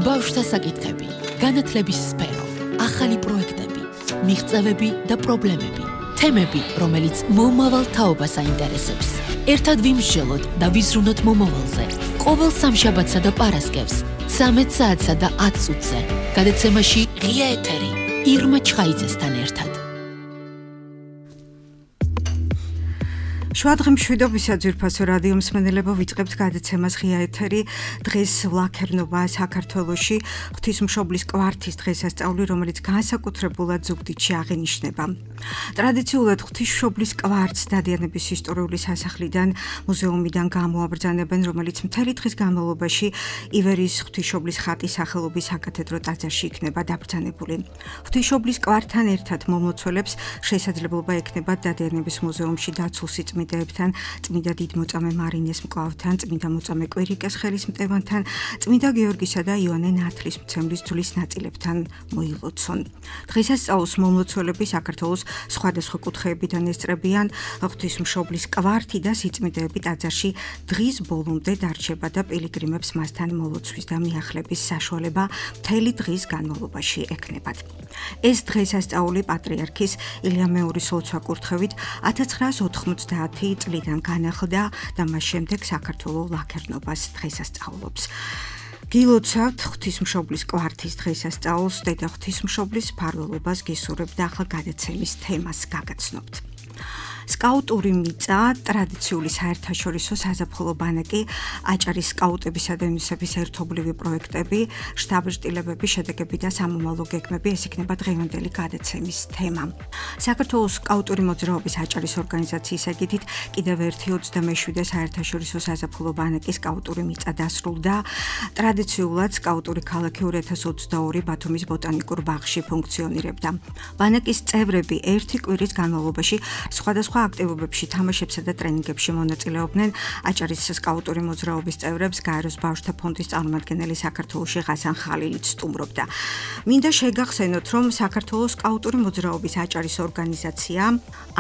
ბავშვთა საკითხები, განათლების სფერო, ახალი პროექტები, მიღწევები და პრობლემები, თემები, რომელიც მომავალ თაობას აინტერესებს. ერთად ვიმსჯელოთ და ვიზრუნოთ მომავალზე. ყოველ სამშაბათსა და პარასკევს, 13 საათსა და 10 წუთზე. გადაცემაში ღია ეთერი, ირმა ჩხაიძესთან ერთად. შუადღე მშვიდობისა ძვირფასო რადიო მსმენელებო, ვიწყებთ გადაცემას ღია ეთერი. დღეს ვლაქერნობა საქართველოში ღვთისმშობლის კვართის დღესასწაული, რომელიც განსაკუთრებულად ზუგდიდში აღინიშნება. ტრადიციულად ღვთისმშობლის კვართს დადიანების ისტორიული სასახლიდან, მუზეუმიდან გამოაბრძანებენ, რომელიც მთელი დღის განმავლობაში ივერიის ღვთისმშობლის ხატის სახელობის საკათედრო ტაძარში იქნება დაბრძანებული. ღვთისმშობლის კვართთან ერთად მომლოცველებს შესაძლებლობა ექნებათ დადიანების მუზეუმში დაცულ წმინდებთან, წმინდა დიდმოწამე მარინეს მკლავთან, წმინდა მოწამე კვირიკეს ხელისმტევანთან, წმინდა გიორგისა და იოანე ნათლისმცემლის ძვლის ნაწილებთან მოილოცონ. დღესასწაულს მომლოცველები საქართველოს სხვადასხვა კუთხეებიდან ესწრებიან. ღვთისმშობლის კვართი და სიწმინდეები ტაძარში დღის ბოლომდე დარჩება და პილიგრიმებს მასთან მოლოცვის და მიახლების საშუალება მთელი დღის განმავლობაში ექნებათ. ეს დღესასწაული პატრიარქის ილია მეურის ლოცვა-კურთხევით 1990 წლიდან განახლდა და მას შემდეგ საქართველოს ლაქერნობას დღესასწაულობს. გილოცავთ ღვთისმშობლის კვართის დღესასწაულს, დედა ღვთისმშობლის მფარველობას გისურვებთ და ახლა გადაცემის თემას გაგაცნობთ. სკაუტური მიწა, ტრადიციული საერთაშორისო საზაფხულო ბანაკი, აჭარის სკაუტებისა და იუნისეფის ერთობლივი პროექტები, შტაბ-ჭრილებები, შედეგები და სამომავლო გეგმები, ეს იქნება დღევანდელი გადაცემის თემა. საქართველოს სკაუტური მოძრაობის აჭარის ორგანიზაციის ეგიდით კიდევ ერთი 27 საერთაშორისო საზაფხულო ბანაკი სკაუტური მიწა დასრულდა. ტრადიციულად სკაუტური ქალაქი 2022 ბათუმის ბოტანიკურ ბაღში ფუნქციონირებდა. ბანაკის წევრები ერთი კვირის განმავლობაში სხვადასხვა აქტივობებში, თამაშებსა და ტრენინგებში მონაწილეობდნენ. აჭარის სკაუტური მოძრაობის წევრებს გაეროს ბავშვთა ფონდის წარმომადგენელი საქართველოში ღასან ხალილიც სტუმრობდა. მინდა შეგახსენოთ, რომ საქართველოს სკაუტური მოძრაობის აჭარის ორგანიზაცია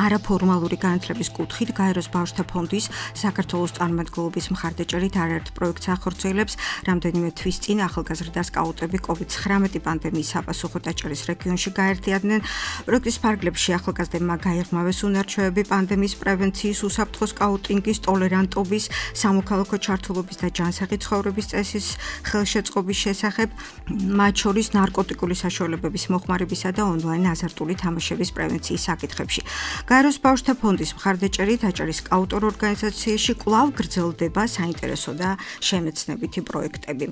არაფორმალური განათლების კუთხით გაეროს ბავშვთა ფონდის საქართველოს წარმომადგენლობის მხარდაჭერით არაერთ პროექტს ახორციელებს. რამდენიმე თვის წინ ახალგაზრდა სკაუტები COVID-19 პანდემიის საპასუხოდ აჭარის რეგიონში გაერთიანდნენ. პროექტის ფარგლებში ახალგაზრდებმა გაიღმავეს უნარჩვევები პანდემიის პრევენციის, უსაფრთხო სკაუტინგის, ტოლერანტობის, სამოქალაქო ჩართულობის და ჯანსაღი ცხოვრების წესის ხელშეწყობის შესახებ, მათ შორის ნარკოტიკული საშუალებების მოხმარებისა და ონლაინ აზარტული თამაშების პრევენციის საკითხებში. გაეროს ბავშვთა ფონდის მხარდაჭერით აჭარის სკაუტურ ორგანიზაციაში კვლავ გრძელდება საინტერესო და შემეცნებითი პროექტები.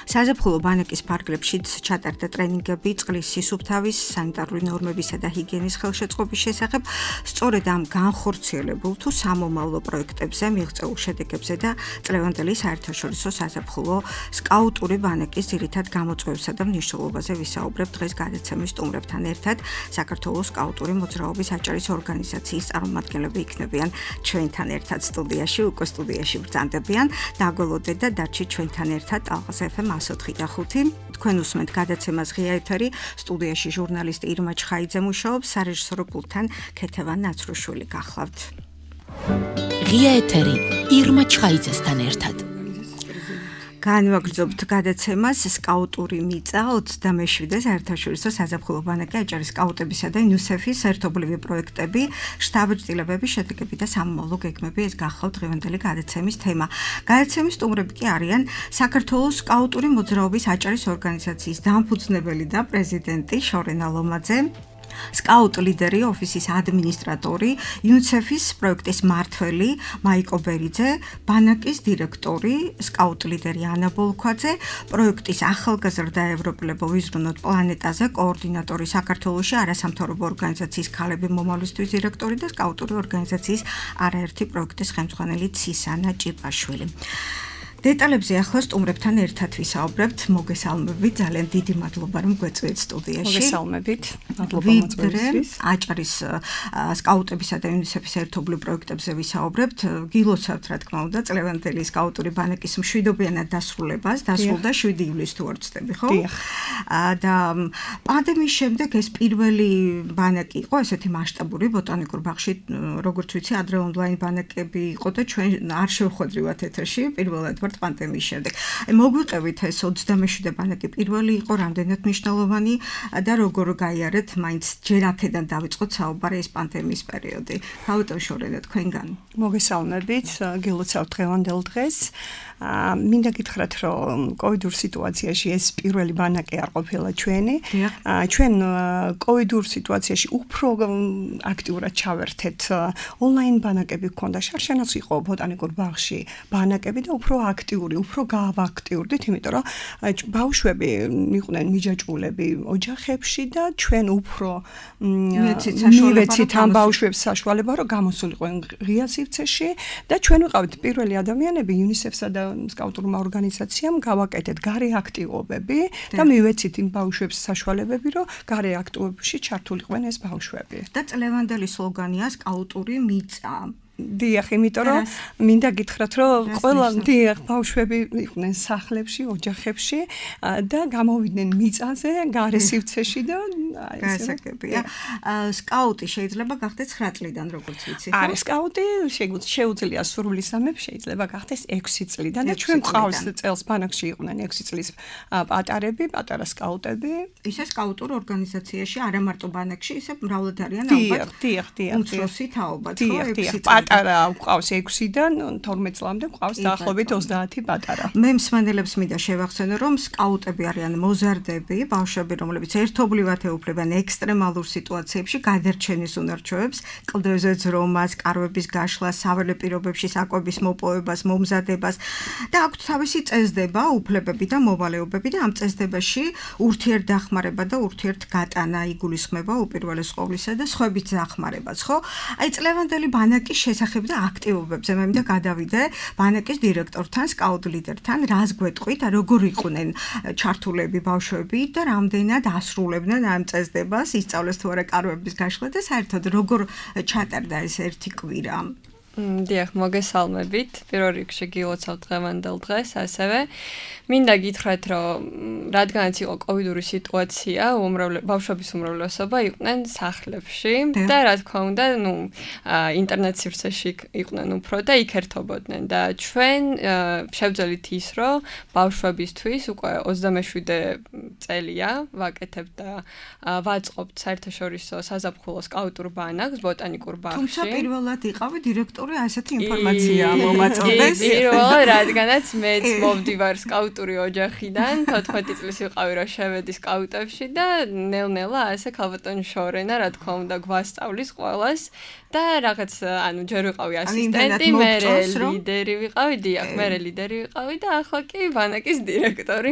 საზაფხულო ბანაკის ფარგლებშიც ჩატარდა ტრენინგები წყლის სისუფთავის, სანიტარული ნორმებისა და ჰიგიენის ხელშეწყობის შესახებ. სწორედ ამ განხორციელებულ თუ სამომავლო პროექტებზე, მიღწეულ შედეგებზე და წლევანდელი საერთაშორისო საზაფხულო სკაუტური ბანაკის ძირითად გამოწვევსა და მნიშვნელობაზე ვისაუბრებთ დღეს გადაცემის სტუმრებთან ერთად. საქართველოს სკაუტური მოძრაობის აჭარის ორგანიზაციის წარმომადგენლები იქნებიან ჩვენთან ერთად სტუდიაში, უკვე სტუდიაში ბრძანდებიან. დაგველოდეთ და დარჩით ჩვენთან ერთად ტალღას FM 104.5. თქვენ უსმენთ გადაცემას ღია ეთერი, სტუდიაში ჟურნალისტი ირმა ჩხაიძე მუშაობს, სარეჟისორო პულტთან ქეთევან ნაცრუშვილი გახლავთ. ღია ეთერი, ირმა ჩხაიძესთან ერთად. განვაგრძობთ გადაცემას სკაუტური მიწა 27 საერთაშორისო საზაფხულო ბანაკი აჭარის სკაუტებისა და იუნისეფის ერთობლივი პროექტები, შტაბ-ჭრილებები, შედეგები და სამომავლო გეგმები, ეს გახლავთ დღევანდელი გადაცემის თემა. გადაცემის სტუმრები კი არიან საქართველოს სკაუტური მოძრაობის აჭარის ორგანიზაციის დამფუძნებელი და პრეზიდენტი შორენა ლომაძე, სკაუტ ლიდერი, ოფისის ადმინისტრატორი, იუნისეფის პროექტის მმართველი მაიკო ბერიძე, ბანაკის დირექტორი, სკაუტ ლიდერი ანა ბოლქვაძე, პროექტის ახალგაზრდა ევროპელებო ვიზრუნოთ პლანეტაზე, კოორდინატორი საქართველოში არასამთავრობო ორგანიზაციის ქალები მომავლისთვის დირექტორი და სკაუტური ორგანიზაციის არაერთი პროექტის ხელმძღვანელი ცისანა ჭიპაშვილი. დეტალებზე ახლა სტუმრებთან ერთად ვისაუბრებთ. მოგესალმებით, ძალიან დიდი მადლობა რომ გვეწვიეთ სტუდიაში. მოგესალმებით. მადლობა მოწვევისთვის. აჭარის სკაუტებისა და იუნისეფის ერთობლივ პროექტებზე ვისაუბრებთ. გილოცავთ, რა თქმა უნდა, წლევანდელი სკაუტური ბანაკის მშვიდობიანად დასრულებას, დასრულდა 7 ივლისს თუ არ ვცდები, ხო? და პანდემიის შემდეგ ეს პირველი ბანაკი იყო, ესეთი მასშტაბური ბოტანიკურ ბაღში, როგორც ვიცი, ადრე ონლაინ ბანაკები იყო და ჩვენ არ შევხვედრივათ ეთერში პირველად თქვათ პანდემიის შემდეგ. მოგვიყევით ეს 27 ბანაკი პირველი იყო რამდენად მნიშვნელოვანი და როგორ გაიარეთ მაინც ჯერ აქედან დავიწყოთ საუბარი ეს პანდემიის პერიოდი. გავუტოვშორეთ თქვენგან. მოგესალმებით, გილოცავთ დღევანდელ დღეს. მინდა გითხრათ, რომ კოვიდურ სიტუაციაში ეს პირველი ბანაკი არ ყოფილა ჩვენი. ჩვენ კოვიდურ სიტუაციაში უფრო აქტიურად ჩავერთეთ. ონლაინ ბანაკები გქონდა, შარშანაც იყო ბოტანიკურ ბაღში ბანაკები და უფრო აქტიური, უფრო გავაქტიურდით, იმიტომ რომ ბავშვები იყვნენ მიჯაჭვულები ოჯახებში და ჩვენ უფრო მივეცით ამ ბავშვებს საშუალება, რომ გამოსულიყვნენ ღია სივრცეში და ჩვენ ვიყავით პირველი ადამიანები UNICEF-სა და სკაუტურმა ორგანიზაციამ გავაკეთეთ გარე აქტივობები და მივეცით იმ ბავშვებს საშუალებები, რომ გარე აქტივობებში ჩართულიყვნენ ეს ბავშვები. და წლევანდელი სლოგანია სკაუტური მიწა. დიახ, იმიტომ რომ მინდა გითხრათ, რომ ყველა დიახ ბავშვები იყვნენ სახლებში, ოჯახებში და გამოვიდნენ მიწაზე, გარე სივრცეში და გასაგებია. სკაუტი შეიძლება გახდეს 9 წლიდან, როგორც ვიცი, ხო? არის სკაუტი, შეუძლია სრული სამები შეიძლება გახდეს 6 წლიდან და ჩვენ გვყავს წელს ბანაკში იყვნენ 6 წლის პატარები, პატარა სკაუტები. ისე სკაუტურ ორგანიზაციაში არა მარტო ბანაკში, ისე მრავლად არიან ალბათ. დიახ. უმცროსი თაობად, ხო? 6 წელი. პატარა გვყავს 6-დან 12 წლამდე გვყავს დაახლოებით 30 პატარა. მე მსმენელებს მინდა შევახსენო, რომ სკაუტები არიან მოზარდები, ბავშვები, რომლებიც ერთობლივად ეუფლებიან ექსტრემალურ სიტუაციებში გადარჩენის უნარჩვევებს, კლდეზე ძრომას, კარვების გაშლას, საველე პირობებში საკვების მოპოვებას, მომზადებას და აქვთ თავისი წესდება, უფლებები და მოვალეობები და ამ წესდებაში ურთიერთდახმარება და ურთიერთგატანა იგულისხმება უპირველეს ყოვლისა და სხვების დახმარებაც, ხო? აი წლევანდელი ბანაკის შესახებ და აქტივობებზე მე მინდა გადავიდე ბანაკის დირექტორთან, სკაუტ ლიდერთან, რას გვეტყვით, როგორ იყვნენ ჩართულები ბავშვები და რამდენად ასრულებდნენ ამ წესდებას, ისწავლეს თუ არა კარვების გაშლა და საერთოდ როგორ ჩატარდა ეს ერთი კვირა. დიახ, მოგესალმებით. პირველ რიგში გილოცავთ დღევანდელ დღეს, ასევე მინდა გითხრათ, რომ რადგანაც იყო კოვიდური სიტუაცია, ბავშვების უმრავლესობა იყვნენ სახლებში და რა თქმა უნდა, ინტერნეტ სივრცეში იყვნენ უფრო და იქ ერთობოდნენ და ჩვენ შევძელით ის, რომ ბავშვებისთვის უკვე 27 წელია ვაკეთებთ და ვაწყობთ საერთაშორისო საზაფხულო სკაუტურ ბანაკს ბოტანიკურ ბაღში. თუმცა პირველად იყავი დირექტორი ასეთი ინფორმაცია მომაწოდეს. პირველად, რადგანაც მეც მოვდივარ სკაუტური ოჯახიდან, 14 წლის ვიყავი, რომ შევედი სკაუტებში და ნელ-ნელა ასე ქალბატონი შორენა, რა თქმა უნდა, გვასწავლის ყველას და რაღაც, ჯერ ვიყავი ასისტენტი, მე ლიდერი ვიყავი, დიახ, მე ლიდერი ვიყავი და ახლა კი ბანაკის დირექტორი.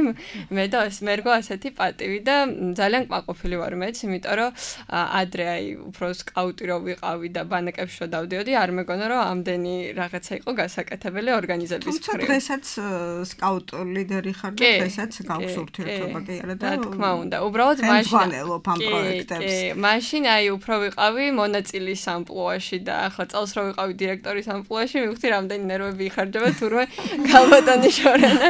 მე და მერგო ასეთი პატივი და ძალიან კმაყოფილი ვარ მეც, იმიტომ რომ ადრე უფრო სკაუტი რო ვიყავი და ბანაკებში რო დავდიოდი, არ მეგონა რომ ამდენი რაღაცა იყო გასაკეთებელი ორგანიზების თუმცა დღესაც სკაუტ ლიდერი ხარ და დღესაც გაქვს ურთიერთობა კი არა და რა თქმა უნდა, უბრალოდ მაშინ ამ პროექტებს. მაშინ უფრო ვიყავი მონაწილის ამპლუაში და ახლა წელს რო ვიყავი დირექტორის ამპლუაში, მივხვდი რამდენი ნერვები იხარჯება თურმე ქალბატონი შორენა.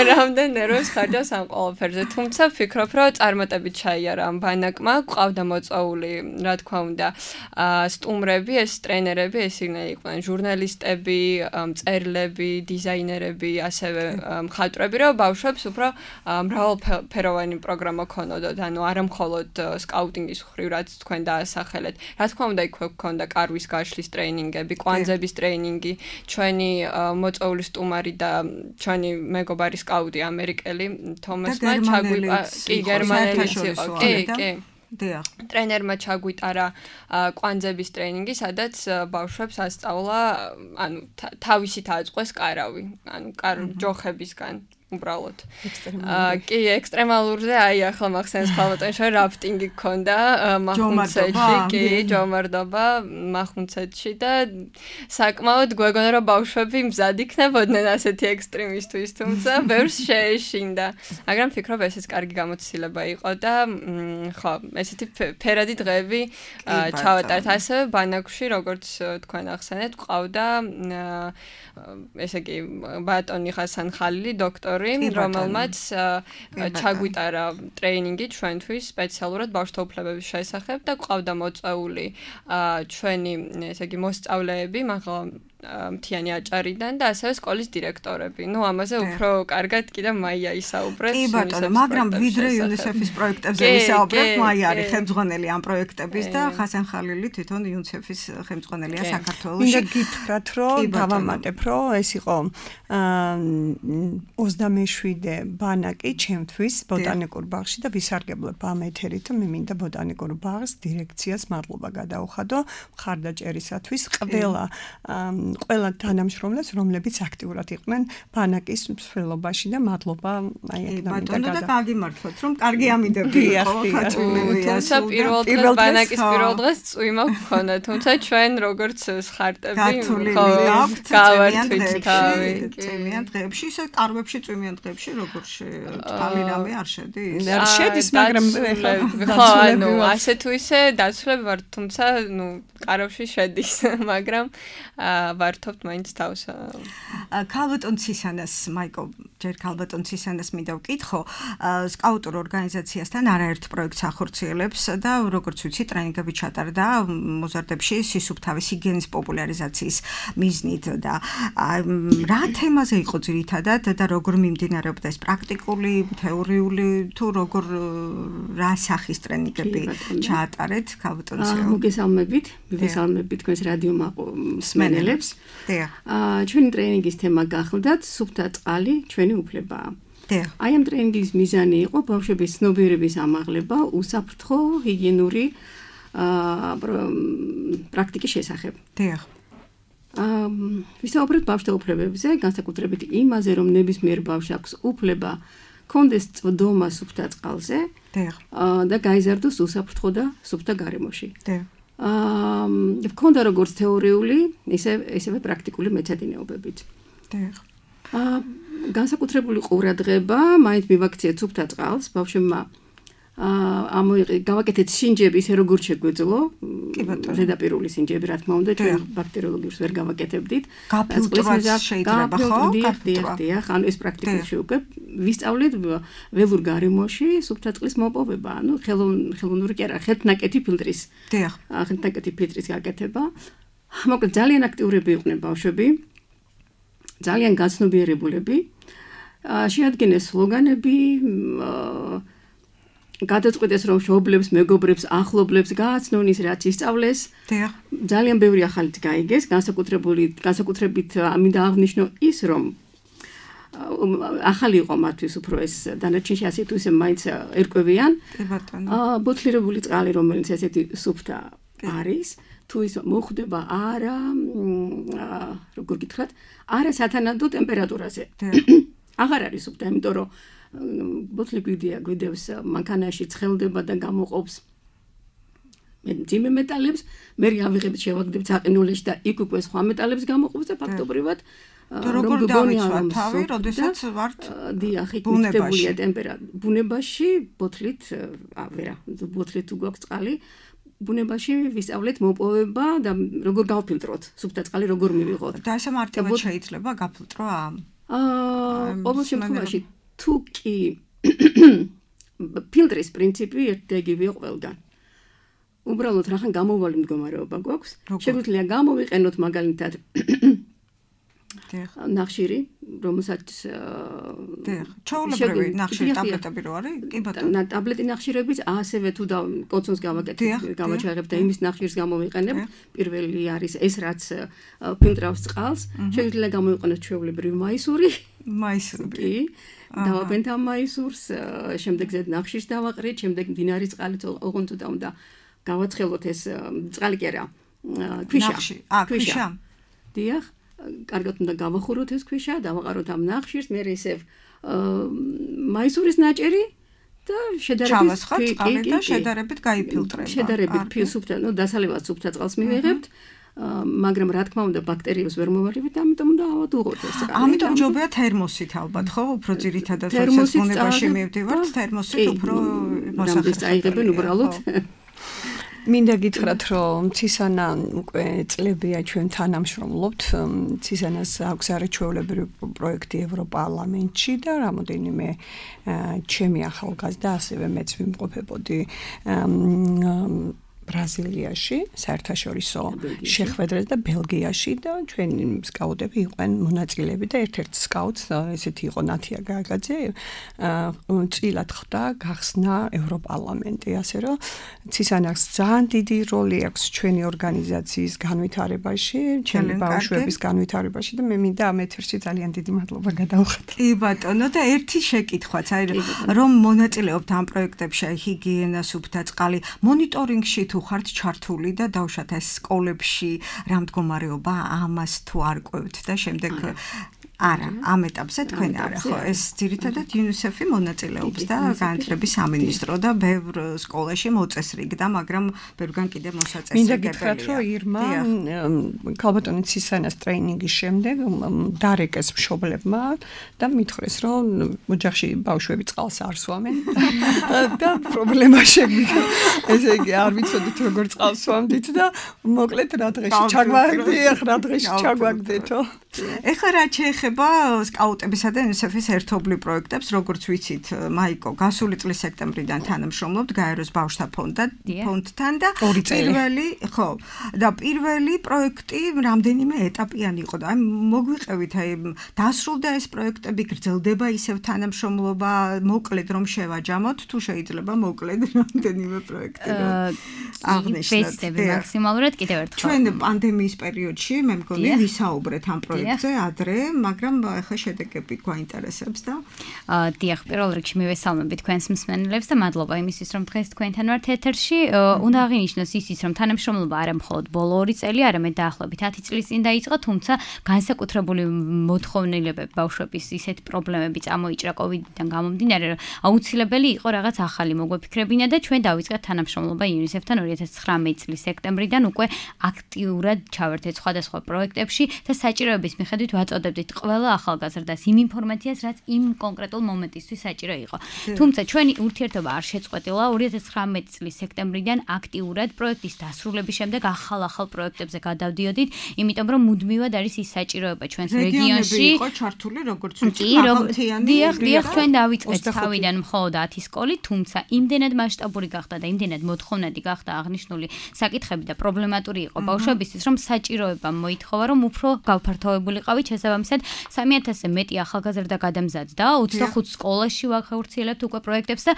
რამდენი ნერვებს ხარჯავს ამ ყველაფერზე. თუმცა ვფიქრობ, რომ წარმატებით ჩაიარა ამ ბანაკმა, გვყავდა მოწვეული, რა თქმა უნდა, სტუმრები, ეს ტრენერები, ეს იყვნენ ჟურნალისტები, მწერლები, დიზაინერები, ასევე მხატვრები, რომ ბავშვებს უფრო მრავალფეროვანი პროგრამა ქონოდათ, ანუ არა მხოლოდ სკაუტინგის მხრივ, რაც თქვენ დაასახელეთ. რა თქმა უნდა, იქ ქონდა კარვის გაშლის ტრეინინგები, კვანძების ტრეინინგი, ჩვენი მოწვეული სტუმარი და ჩვენი მეგობარი სკაუტი ამერიკელი თომასმა ჩაგვიყარა, კი, გერმანელიც იყო, კი. დიახ. ტრენერმა ჩაგვიტარა კვანძების ტრეინინგი, სადაც ბავშვებს ასწავლა, თავისით ააწყვეს კარავი, ჯოხებისგან. უბრალოდ. კი, ექსტრემალურზე, ახლა მახსენს ქალბატონი შორ რაფტინგი გქონდა მახუნცეთში, კი, ჯომარდობა მახუნცეთში და საკმაოდ გვეგონა რომ ბავშვები მზად იქნებოდნენ ასეთი ექსტრემისტვის, თუმცა ბევრს შეეშინდა. მაგრამ ვფიქრობ, ესეც კარგი გამოცდილება იყო და ხო, ესეთი ფერადი დღეები ჩავატარეთ ასევე ბანაკში, როგორც თქვენ ახსენეთ, ყავდა ესე იგი ბატონი ხასან ხალილი, დოქტორი, რომელმაც ჩაგვიტარა ტრეინინგი ჩვენთვის სპეციალურად ბავშვთა უფლებების შესახებ და ყავდა მოწვეული ჩვენი ესე იგი მოსწავლეები, მაგრამ მთიანი აჭარიდან და ასევე სკოლის დირექტორები. ნუ ამაზე უფრო კარგად კიდევ მაია ისაუბრებს. კი ბატონო, მაგრამ ვიდრე UNICEF-ის პროექტებზე ვისაუბრებთ, მაია არის ხელმძღვანელი ამ პროექტების და ხასან ხალილი თვითონ UNICEF-ის ხელმძღვანელია საქართველოში. მინდა გითხრათ, რომ დავამატებ, რომ ეს იყო 27-ე ბანაკი ჩემთვის ბოტანიკურ ბაღში და ვისარგებლებ ამ ეთერით, მე მინდა ბოტანიკურ ბაღს დირექციას მადლობა გადაუხადო მხარდაჭერისათვის ყველა თანამშრომლებს, რომლებიც აქტიურად იყვნენ ბანაკის მსვლელობაში და მადლობა აი ბატონო და გაგიმართლოთ, რომ კარგი ამიდები იყო ხათმელია. თუმცა პირველ ბანაკის პირველ დღეს წვიმა გქონდა, თუმცა ჩვენ როგორც ხარტები გავართ თავი. წვიმიან დღეებში, ისე კარვებში წვიმიან დღეებში, როგორ თალი რამე არ შედის? არ შედის, მაგრამ ანუ ასე თუ ისე დაცვლები ვარ, თუმცა ნუ კარვებში შედის, მაგრამ ვართობთ მაინც თავს. ქალბატონ ცისანას, მაიკო, ჯერ ქალბატონ ცისანას მინდა ვკითხო, სკაუტურ ორგანიზაციასთან არაერთ პროექტს ახორციელებს და როგორც ვიცი, ტრენინგები ჩატარდა მოზარდებში სისუფთავის ჰიგიენის პოპულარიზაციის მიზნით და რა თემაზე იყო ძირითადად და როგორ მიმდინარეობდა ეს პრაქტიკული, თეორიული თუ როგორ რა სახის ტრენინგები ჩაატარეთ ქალბატონ ცისანას? მოგესალმებით თქვენს რადიო მსმენელებს. ჩვენი ტრენინგის თემა გახლდათ სუფთა წყალი ჩვენი უფლებაა. აი ამ ტრენინგის მიზანი იყო ბავშვების ცნობიერების ამაღლება უსაფრთხო ჰიგიენური პრაქტიკის შესახებ. ვისაუბრებთ ბავშვთა უფლებებზე, განსაკუთრებით იმაზე, რომ ნებისმიერ ბავშვს აქვს უფლება კონდეს წვდომა სუფთა წყალზე და გაიზარდოს უსაფრთხო და სუფთა გარემოში. ვქონდა როგორც თეორიული, ისევე პრაქტიკული მეცადინეობებით. განსაკუთრებული ყურადღება მაინც მივაქციეთ სუფთა წყალს, ბავშვებმა გავაკეთეთ სინჯები ისე როგორც შეგვეძლო, ზედაპირული სინჯები, რა თქმა უნდა, ჩვენ ბაქტერიოლოგიურს ვერ გავაკეთებდით. გაფილტრovat შეიძლება, ხო? დიახ, ანუ ეს პრაქტიკაში უკვე ვისწავლეთ ველურ გარემოში სუფთა წყლის მოპოვება, ანუ ხელოვნური კი არა, ხელთნაკეთი ფილტრის. ხელთნაკეთი ფილტრის გაკეთება. მოკლედ ძალიან აქტიურები იყვნენ ბავშვები, ძალიან გაცნობიერებულები. შეადგინეს სლოგანები, გადაწყვეტეს რომ მშობლებს, მეგობრებს, ახლობლებს გააცნონ ის რაც ისწავლეს. ძალიან ბევრი ახალიც გაიგეს, განსაკუთრებით მინდა აღნიშნო ის რომ ახალი იყო მათთვის უფრო ეს დანარჩენში ასე თუ ისე მაინც ერკვევიან. ბოთლირებული წყალი რომელიც ესეთი სუფთა არის, თუ ის მოხვდება არა, როგორ გითხრათ, არა სათანადო ტემპერატურაზე. აღარ არის სუფთა, იმიტომ რომ ბოთლი გვიდევს მანქანაში ცხელდება და გამოყოფს მძიმე მეტალებს, მე ავიღებთ შევაგდებთ საყინულეში და იქ უკვე სხვა მეტალებს გამოყოფს და ფაქტობრივად როგორ დავიცვათ თავი, როდესაც ვართ ბუნებაში ბუნებაში ბოთლით ვერა, ბოთლით თუ გვაქვს წყალი, ბუნებაში ვისწავლეთ მოპოვება და როგორ გავფილტროთ სუფთა წყალი, როგორ მივიღოთ. და ესე მარტივად შეიძლება გაფილტრო ამ? ყოველ შემთხვევაში თუ კი ფილტრის პრინციპი ერთგივეა ყველგან. უბრალოდ რახან გამოვალი მდგომარეობა გვაქვს, შეგვიძლია გამოვიყენოთ მაგალითად ნახშირი, რომელსაც ჩაოლებრივი ნახშირი ტაბლეტები რო არის? კი ბატონო. ტაბლეტი ნახშირებიც ასევე თუ კოცონს გავაჩაღებ და იმის ნახშირს გამოვიყენებ, პირველი არის ეს რაც ფილტრავს წყალს, შეგვიძლია გამოვიყენოთ ჩვეულებრივი მაისური. მაისური. დავაბენთ ამ მაისურს, შემდეგ ზედ ნახშირს დავაყრით, შემდეგ მდინარის წყალით ოღონდ უნდა გავაცხელოთ ეს წყალი კი არა, ქვიშა. ქვიშა. დიახ. კარგად უნდა გავახუროთ ეს ქვიშა, დავაყაროთ ამ ნახშირს, მე ისევ მაისურის ნაჭერი და შედარებით გაიფილტრება. შედარებით სუფთა, ნუ დასალევად სუფთა წყალს მივიღებთ, მაგრამ რა თქმა უნდა ბაქტერიებს ვერ მოვარივით, ამიტომ უნდა ავადუღოთ ეს წყალი. ამიტომ ჯობია თერმოსით ალბათ, ხო? უფრო ძირითადად როდესაც ბუნებაში მივდივართ, თერმოსით უფრო მოსახერხებელია. აიღებენ უბრალოდ მინდა გითხრათ, რომ ცისანა უკვე წლებია ჩვენ თანამშრომლობთ. ცისანას აქვს არაჩვეულებრივი პროექტი ევროპარლამენტში და რამოდენიმე ჩემი ახალგაზრდა ასევე მეც ვიმყოფებოდი ბრაზილიაში, საერთაშორისო შეხვედრაზე და ბელგიაში და ჩვენი სკაუტები იყვნენ მონაწილეები და ერთ-ერთ სკაუტს ესეთი იყო ნათია გაგაძე წილად ხდა გახსნა ევროპარლამენტი, ასე რომ ცისანახს ძალიან დიდი როლი აქვს ჩვენი ორგანიზაციის განვითარებაში, ჩვენი ბავშვების განვითარებაში და მე მინდა ამ ეთერში ძალიან დიდი მადლობა გადავხატო. კი ბატონო და ერთი შეკითხვაც, აი რომ მონაწილეობთ ამ პროექტებში, აი ჰიგიენა, სუფთა წყალი, მონიტორინგში თუ ხართ ჩართული და დავუშვათ ეს სკოლებში რა მდგომარეობა ამას თუ არ ყვევთ და შემდეგ არა, ამ ეტაპზე თქვენ არა ხო, ეს ძირითადად UNICEF-ი მონაწილეობს და განათლების სამინისტრო და ბევრ სკოლაში მოწესრიგდა, მაგრამ ბევრგან კიდევ მოსაწესრიგებელია. მინდა გითხრათ, რომ ირმა ქალბატონი ცისანას ტრეინინგის შემდეგ დარეკეს მშობლებმა და მითხრეს, რომ ოჯახში ბავშვები წყალს არ სვამენ და პრობლემა შეგვიდგა. ესე იგი, არ ვიცოდით როგორ წყალს სვამდით და მოკლედ რა დღეში ჩაგვაგდეთო. ეხლა რა შეეხება სკაუტებისა და UNICEF-ის ერთობლივ პროექტებს, როგორც ვიცით, მაიკო, გასული წლის სექტემბრიდან თანამშრომლობთ გაეროს ბავშვთა ფონდთან და პირველი პროექტი რამდენიმე ეტაპიანი იყო და აი მოგვიყევით, აი დასრულდა ეს პროექტები, გრძელდება ისევ თანამშრომლობა, მოკლედ რომ შევაჯამოთ, თუ შეიძლება მოკლედ რამდენიმე პროექტი აღნიშნოთ. მაქსიმალურად კიდევ ერთხელ. ჩვენ პანდემიის პერიოდში მე მგონი ვისაუბრეთ ამ პროექტზე ადრე, მაგრამ ახლა შედეგები გვაინტერესებს და დიახ, პირველ რიგში მივესალმები თქვენს მსმენელებს და მადლობა იმისთვის, რომ დღეს თქვენთან ვართ ეთერში. უნდა აღინიშნოს ისიც, რომ თანამშრომლობა არა მხოლოდ ბოლო 2 წელი, არამედ დაახლოებით 10 წლის წინ დაიწყო, თუმცა განსაკუთრებული მოთხოვნილებები ბავშვების ისეთი პრობლემები წამოიჭრა COVID-დან გამომდინარე, რომ აუცილებელი იყო რაღაც ახალი მოგვეფიქრებინა და ჩვენ დავიწყეთ თანამშრომლობა UNICEF-თან 2019 წლის სექტემბრიდან უკვე აქტიურად ჩავერთეთ სხვადასხვა პროექტებში და საჭიროების მიხედვით ვაწოდებდით ყველა ახალგაზრდას იმ ინფორმაციას, რაც იმ კონკრეტულ მომენტისთვის საჭირო იყო. თუმცა ჩვენი ურთიერთობა არ შეწყვეტილა 2019 წლის სექტემბრიდან აქტიურად პროექტის დასრულების შემდეგ ახალ პროექტებზე გადავდიოდით, იმიტომ რომ მუდმივად არის ის საჭიროება ჩვენს რეგიონში. იყო ჩართული როგორც ვიცით, დიახ, ჩვენ დავიწყეთ თავიდან მხოლოდ 10 სკოლი, თუმცა იმდენად მასშტაბური გახდა და იმდენად მოთხოვნადი გახდა აღნიშნული საკითხები და პრობლემატური იყო ბავშვებისთვის, რომ საჭიროება მოითხოვა, რომ უფრო გავფართოვებულიყავით, შესაბამისად 3000-ზე მეტი ახალგაზრდა გადამზადდა, 25 სკოლაში ვახორციელებთ უკვე პროექტებს და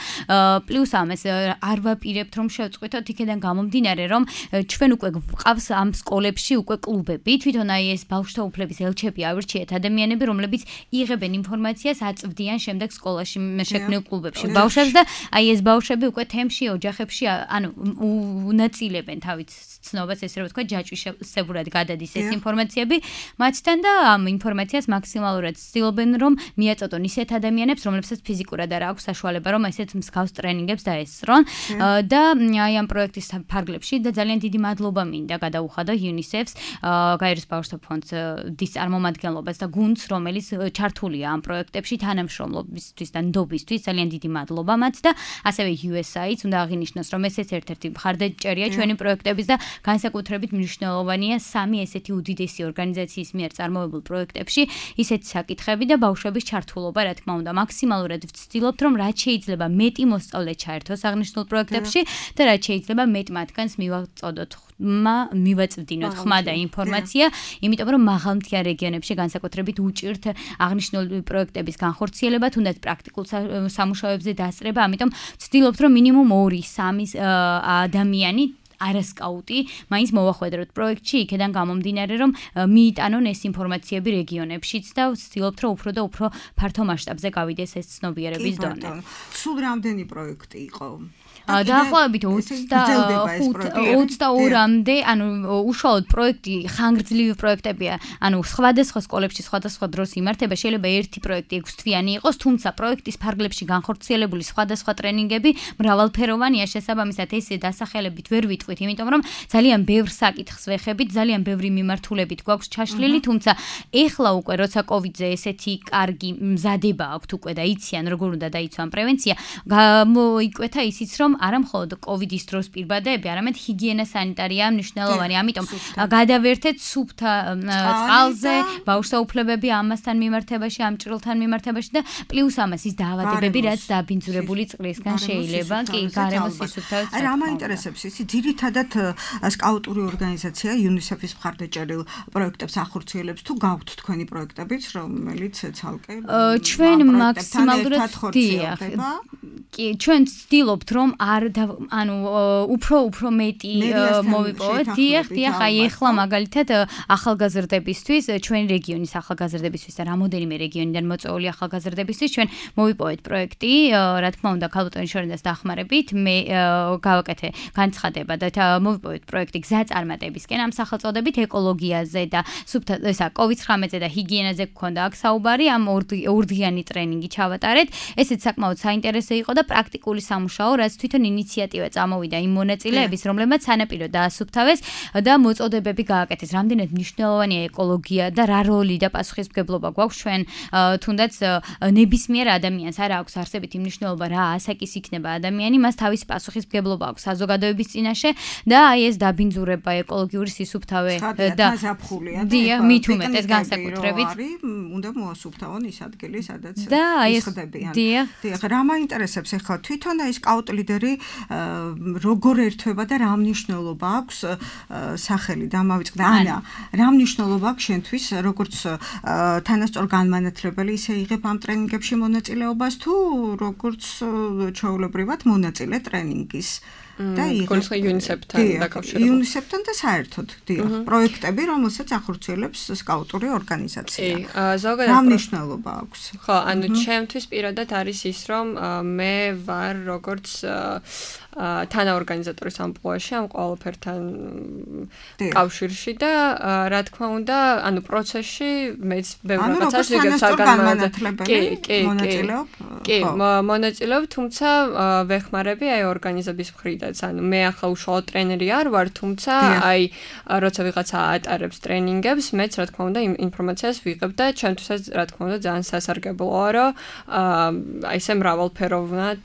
პლუს ამას არ ვაპირებთ, რომ შევწყვიტოთ იქიდან გამომდინარე, რომ ჩვენ უკვე გვყავს ამ სკოლებში უკვე კლუბები, თვითონ აი ეს ბავშვთა უფლების ელჩები ავირჩიეთ ადამიანები, რომლებიც იღებენ ინფორმაციას, აწვდიან შემდეგ სკოლაში შექმნილ კლუბებში ბავშვებს და აი ეს ბავშვები უკვე თემში, ოჯახებში, ანუ უნაწილებენ თავის ცნობას, ესე რომ ვთქვა, ჯაჭვისებურად გადადის ეს ინფორმაციები მათთან და ამ ინფორმაციას მაქსიმალურად ცდილობენ, რომ მიაწოდონ ისეთ ადამიანებს, რომლებსაც ფიზიკურად არ აქვს საშუალება, რომ ესეთ მსგავს ტრენინგებს დაესწრონ და აი ამ პროექტის ფარგლებში და ძალიან დიდი მადლობა მინდა გადაუხადო UNICEF-ს, გაეროს ბავშვთა ფონდის წარმომადგენლობას და გუნდს, რომელიც ჩართულია ამ პროექტებში თანამშრომლობისთვის და ნდობისთვის, ძალიან დიდი მადლობა მათ და ასევე USAID-ს უნდა აღინიშნოს, რომ ესეც ერთ-ერთი მხარდაჭერია ჩვენი პროექტების და განსაკუთრებით მნიშვნელოვანია 3 ესეთი უდიდესი ორგანიზაციის მიერ წარმოებულ პროექტებში ისეთი საკითხები და ბავშვების ჩართულობა, რა თქმა უნდა, მაქსიმალურად ვცდილობთ, რომ რაც შეიძლება მეტი მოსწავლე ჩაერთოს აღნიშნულ პროექტებში და რაც შეიძლება მეტ მათგანს მივაწვდინოთ ხმა და ინფორმაცია, იმიტომ რომ მაღალმთიან რეგიონებში განსაკუთრებით უჭირთ აღნიშნული პროექტების განხორციელება, თუნდაც პრაქტიკულ სამუშაოებზე დასწრება, ამიტომ ვცდილობთ, რომ მინიმუმ 2-3 ადამიანი არასკაუტი მაინც მოვახვედროთ პროექტში, იქიდან გამომდინარე, რომ მიიტანონ ეს ინფორმაციები რეგიონებშიც და ვცდილობთ, რომ უფრო და უფრო ფართო მასშტაბზე გავიდეს ეს ცნობიერების დონე. სულ რამდენი პროექტი იყო? დაახლოებით 22-მდე, ანუ უშუალოდ პროექტი ხანგრძლივი პროექტებია, ანუ სხვადასხვა სკოლებში სხვადასხვა დროს იმართება, შეიძლება ერთი პროექტი 6 თვიანი იყოს, თუმცა პროექტის ფარგლებში განხორციელებული სხვადასხვა ტრენინგები მრავალფეროვანია, შესაბამისად ეს დასახელებით ვერ ვიტყვით, იმიტომ რომ ძალიან ბევრ საკითხს ვეხებით, ძალიან ბევრი მიმართულებით გვაქვს ჩაშლილი, თუმცა ეხლა უკვე როცა COVID-ზე ესეთი კარგი მზადება აქვთ უკვე და იციან როგორ უნდა დაიცვან პრევენცია, გამოიკვეთა ისიც რომ არა მხოლოდ COVID-ის დროს პირბადეები, არამედ ჰიგიენა სანიტარია მნიშვნელოვანი, ამიტომ გადავერთეთ სუფთა წყალზე, ბავშვთა უფლებები ამასთან მიმართებაში, ამ ჭრილთან მიმართებაში და პლუს ამას ის დაავადებები, რაც დაბინძურებული წყლისგან შეიძლება, კი, გარემოს სისუფთავეც. აი რა მაინტერესებს ისი, ძირითადად ძირითადად სკაუტური ორგანიზაცია UNICEF-ის მხარდაჭერილ პროექტებს ახორციელებს თუ გაქვთ თქვენი პროექტებიც, რომელიც ცალკე ჩვენ მაქსიმალურად ხორციელდება. კი, ჩვენ ვცდილობთ რომ უფრო მეტი მოვიპოვოთ. დიახ, აი ახლა მაგალითად ახალგაზრდებისთვის, ჩვენი რეგიონის ახალგაზრდებისთვის და რამოდენიმე რეგიონიდან მოწვეული ახალგაზრდებისთვის ჩვენ მოვიპოვეთ პროექტი, რა თქმა უნდა, ქალბატონის შორენას დახმარებით, მე გავაკეთე განცხადება და მოვიპოვეთ პროექტი გზაწარმატებისკენ ამ სახელწოდებით ეკოლოგიაზე და COVID-19-ზე და ჰიგიენაზე გქონდა აქ საუბარი, ამ ორდღიანი ტრენინგი ჩავატარეთ. ესეც საკმაოდ საინტერესო იყო და პრაქტიკული სამუშაო, რაც თვითონ ინიციატივა წამოვიდა იმ მონაწილეების, რომლებმაც სანაპირო დაასუფთავეს და მოწოდებები გააკეთეს. რამდენად მნიშვნელოვანია ეკოლოგია და რა როლი და პასუხისმგებლობა გვაქვს ჩვენ თუნდაც ნებისმიერ ადამიანს არ აქვს არსებითი მნიშვნელობა რა ასაკის იქნება ადამიანი, მას თავისი პასუხისმგებლობა აქვს საზოგადოების წინაშე და აი ეს დაბინძურება ეკოლოგიური სისუფთავე და მით უმეტეს განსაკუთრებით უნდა მოასუფთავონ ის ადგილი, სადაც ისხდებიან. დიახ, რა მაინტერესებს ახლა თვითონ აი სკაუტ ლიდერი როგორ ერთვება და რა მნიშვნელობა აქვს სახელი დამავიწყდა ანა, რა მნიშვნელობა აქვს შენთვის როგორც თანასწორ განმანათლებელი ისე იღებ ამ ტრენინგებში მონაწილეობას თუ როგორც ჩვეულებრივად მონაწილე ტრენინგის და იგივე UNICEF-თან დაკავშირებით. UNICEF-თან და საერთოდ პროექტები, რომელსაც ახორციელებს სკაუტური ორგანიზაცია. ზოგადად რა მნიშვნელობა აქვს? ხო, ანუ ჩემთვის პირადად არის ის, რომ მე ვარ როგორც თანაორგანიზატორის ამპლუაში ამ ყველაფერთან კავშირში და რა თქმა უნდა, ანუ პროცესში მეც ბევრ რაღაცას ვიგებ საგანმანათლებელი. კი, მონაწილეობ, თუმცა ვეხმარები აი ორგანიზების მხრიდან. ანუ მე ახლა უშუალოდ ტრენერი არ ვარ, თუმცა აი როცა ვიღაცა ატარებს ტრენინგებს, მეც რა თქმა უნდა ინფორმაციას ვიღებ და ჩემთვისაც რა თქმა უნდა ძალიან სასარგებლოა, რომ აი ესე მრავალფეროვნად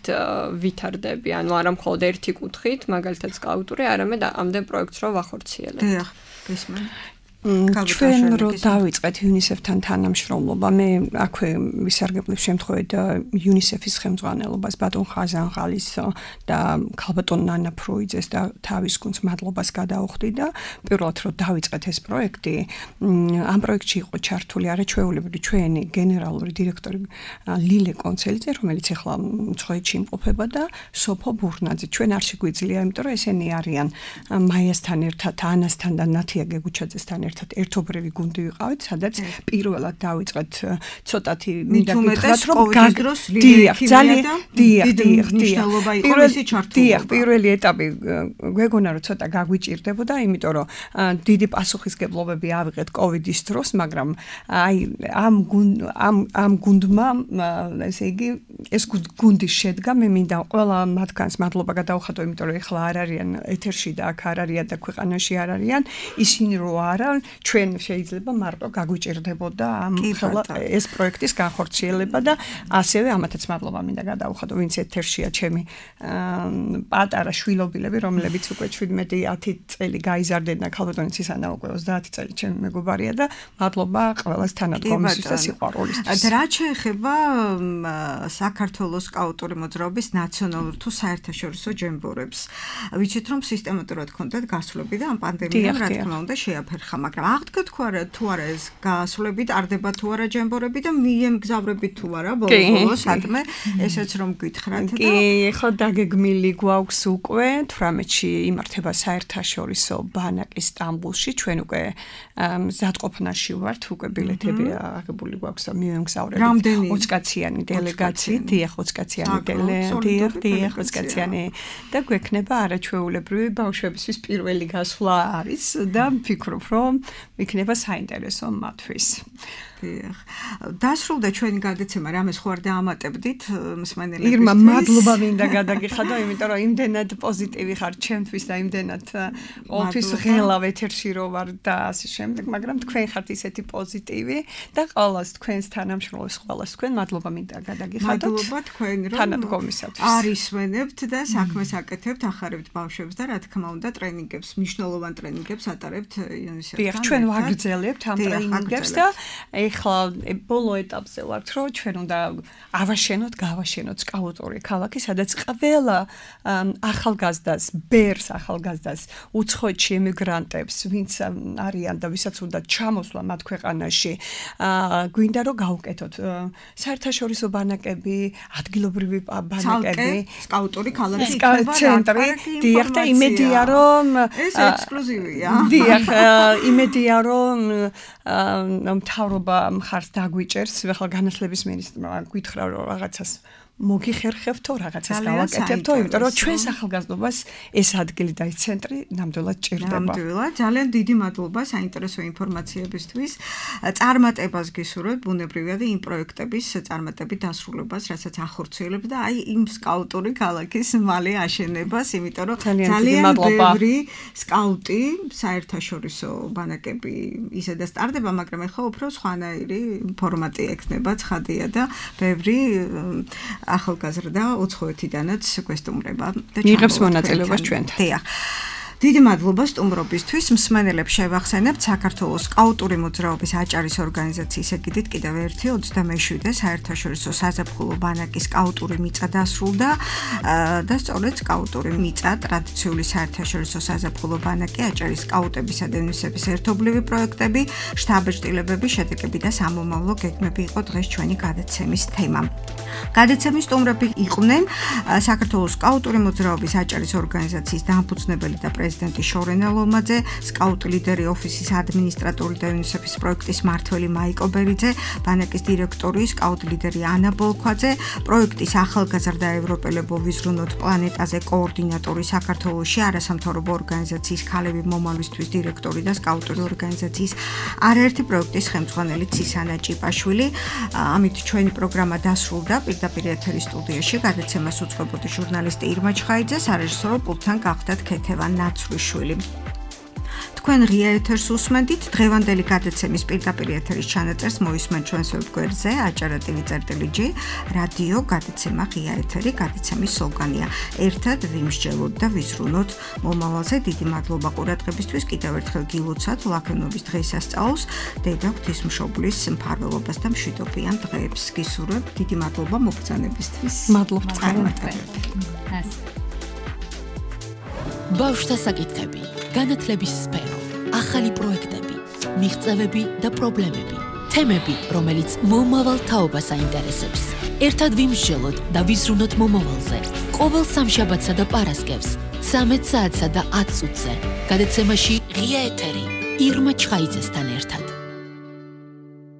ვითარდები. ანუ არა მხოლოდ ერთი კუთხით, მაგალითად სკაუტური, არამედ ამდენ პროექტს რო ვახორციელებ. დიახ, გისმენთ. ჩვენ რო დავიწყეთ UNICEF-თან თანამშრომლობა, მე აქვე ვისარგებლებ შემთხვევით UNICEF-ის ხელმძღვანელობას ბატონ ხაზანღალის და ქალბატონ ნანა ფროიძეს და თავის გუნდს მადლობას გადაუხდი და პირველად რო დავიწყეთ ეს პროექტი, ამ პროექტში იყო ჩართული არაჩვეულებრივი ჩვენი გენერალური დირექტორი ლილე კონცელიძე, რომელიც ახლა მწვეეთში იმყოფება და სოფო ბურნაძე. ჩვენ არ შეგვიძლია, იმიტომ რომ ესენი არიან მაიასთან ერთად, ანასთან და ნათია გეგუჩაძესთან ერთობრივი გუნდი ვიყავით, სადაც პირველად დავიწყეთ ცოტათი მინდა გითხრათ, რომ პირველი ეტაპი გვეგონა რომ ცოტა გაგვიჭირდებოდა, იმიტომ რომ დიდი პასუხისგებლობები ავიღეთ კოვიდის დროს, მაგრამ აი ამ გუნდმა ესე იგი ეს გუნდი შედგა, მე მინდა ყველა მათგანს მადლობა გადავხატო, იმიტომ რომ ეხლა არ არიან ეთერში და აქ არ არიან და ქვეყანაში არ არიან, ისინი რო არა ჩვენ შეიძლება მარტო გაგვიჭირდებოდა ამ ეს პროექტის განხორციელება და ასევე ამათაც მადლობა მინდა გადავხატო, ვინც ეთერშია ჩემი პატარა შვილობილები, რომლებიც უკვე 17-10 წელი გაიზარდნენ და ქალბატონიც ისანა უკვე 30 წელი ჩემი მეგობარია და მადლობა ყველას თანადგომისთვის და სიყვარულისთვის. და რა შეეხება საქართველოს სკაუტური მოძრაობის ნაციონალურ თუ საერთაშორისო ჯემბორებს. ვიცით რომ სისტემატურად ჰქონდათ გასვლები და ამ პანდემიამ რა თქმა უნდა შეაფერხა, მაგრამ აღდგა თუ არა ეს გასვლები ტარდება თუ არა ჯემბორები და მიემგზავრებით თუ არა ბოლოს სადმე ესეც რომ გითხრათ და კი, ხო დაგეგმილი გვაქვს უკვე 18-ში იმართება საერთაშორისო ბანაკი სტამბულში, ჩვენ უკვე მზადყოფნაში ვართ, უკვე ბილეთები აღებული გვაქვს და მივემგზავრებით 20 კაციანი დელეგაციით, დიახ 20 კაციანი დელეგაციით და გვექნება არაჩვეულებრივი ბავშვებისთვის პირველი გასვლა არის და ვფიქრობ რომ იქნება საინტერესო მათთვის. დასრულდა ჩვენი გადაცემა, რამეს ხო არ დაამატებდით მსმენელებისთვის? ირმა, მადლობა მინდა გადაგიხადო, იმიტომ რომ იმდენად პოზიტივი ხარ ჩემთვის და იმდენად ყოველთვის ღელავ ეთერში რო ვარ და ასე შემდეგ, მაგრამ თქვენ ხართ ისეთი პოზიტივი და ყოველას თქვენს თანამშრომლებს ყოველას თქვენ მადლობა მინდა გადაგიხადოთ. მადლობა თქვენ რომ თანადგომისათვის. არისვენებთ და საქმეს აკეთებთ, ახარებთ ბავშვებს და რა თქმა უნდა ტრენინგებს, მნიშვნელოვან ტრენინგებს ატარებთ UNICEF-თან. ჩვენ ვაგრძელებთ ამ ტრენინგებს და ეხლა ბოლო ეტაპზე ვართ, რომ ჩვენ უნდა გავაშენოთ სკაუტური ქალაქი, სადაც ყველა ახალგაზრდას, ბერს ახალგაზრდას, უცხოეთში ემიგრანტებს, ვინც არიან და ვისაც უნდა ჩამოსვლა მათ ქვეყანაში, გვინდა რომ გავუკეთოთ საერთაშორისო ბანაკები, ადგილობრივი ბანაკები, სკაუტური ქალაქის ცენტრი, დიახ და იმედია რომ ეს ექსკლუზივია. დიახ, იმედია რომ მთავრობა მხარს დაგვიჭერს, ახლა განათლების მინისტრმა გითხრა რომ რაღაცას მოგიხერხებთო, რაღაცას გავაკეთებთო, იმიტომ რომ ჩვენს ახალგაზრდობას ეს ადგილი და ეს ცენტრი ნამდვილად ჭირდება. ნამდვილად, ძალიან დიდი მადლობა საინტერესო ინფორმაციებისთვის. წარმატებას გისურვებთ ბუნებრივია და იმ პროექტების წარმატებით დასრულებას, რასაც ახორციელებთ და აი იმ სკაუტური ქალაქის მალე აშენებას, იმიტომ რომ ძალიან ბევრი სკაუტი საერთაშორისო ბანაკები ისედაც ტარდება, მაგრამ ეხლა უფრო სხვანაირი ფორმატი ექნება, ცხადია და ბევრი ახალგაზრდა უცხოეთიდანაც გვესტუმრება და იღებს მონაწილეობას ჩვენთან. დიახ. დიდი მადლობა სტუმრობისთვის. მსმენელებს შევახსენებთ საქართველოს სკაუტური მოძრაობის აჭარის ორგანიზაციის ეგიდით კიდევ ერთი 27-ე საერთაშორისო საზაფხულო ბანაკის სკაუტური მიწა დასრულდა და სწორედ სკაუტური მიწა ტრადიციული საერთაშორისო საზაფხულო ბანაკი აჭარის სკაუტებისა და იუნისეფის ერთობლივი პროექტები, შთაბეჭდილებები, შედეგები და სამომავლო გეგმები იყო დღეს ჩვენი გადაცემის თემა. გადაცემის სტუმრები იყვნენ საქართველოს სკაუტური მოძრაობის აჭარის ორგანიზაციის დამფუძნებელი და პრეზიდენტი შორენა ლომაძე, სკაუტ ლიდერი ოფისის ადმინისტრატორი და იუნისეფის პროექტის მმართველი მაიკო ბერიძე, ბანაკის დირექტორი, სკაუტ ლიდერი ანა ბოლქვაძე, პროექტის ახალგაზრდა ევროპელებო ვიზრუნოთ პლანეტაზე კოორდინატორი საქართველოში, არასამთავრობო ორგანიზაციის ქალები მომავლისთვის დირექტორი და სკაუტური ორგანიზაციის არაერთი პროექტის ხელმძღვანელი ცისანა ჭიპაშვილი. ამით ჩვენი პროგრამა დასრულდა. პირდაპირ ეთერის სტუდიაში გადაცემას უწყებოდი ჟურნალისტი ირმა ჩხაიძე, სარეჟისორო პულტთან გახდათ ქეთევან ნაცვლიშვილი. თქვენ ღია ეთერს უსმენთ. დღევანდელი გადაცემის პირდაპირ ეთერის ჩანაწერს მოისმენთ ჩვენს ვებგვერდზე acara.tv.g რადიო გადაცემა ღია ეთერი. გადაცემის სლოგანია ერთად ვიმსჯელოთ და ვიზრუნოთ მომავალზე. დიდი მადლობა ყურადღებისთვის. კიდევ ერთხელ გილოცავთ ლაქონობის დღესასწაულს, დედა ღვთისმშობლის მფარველობას და მშვიდობიან დღეებს გისურვებთ. დიდი მადლობა მოგზაურობისთვის. მადლობთ წარმატებებით. ბავშვთა საკითხები, განათლების სფერო, ახალი პროექტები, მიღწევები და პრობლემები, თემები, რომელიც მომავალ თაობას აინტერესებს. ერთად ვიმსჯელოთ და ვიზრუნოთ მომავალზე. ყოველ სამშაბათსა და პარასკევს 13 საათსა და 10 წუთზე. გადაცემაში ღია ეთერი ირმა ჩხაიძესთან ერთად.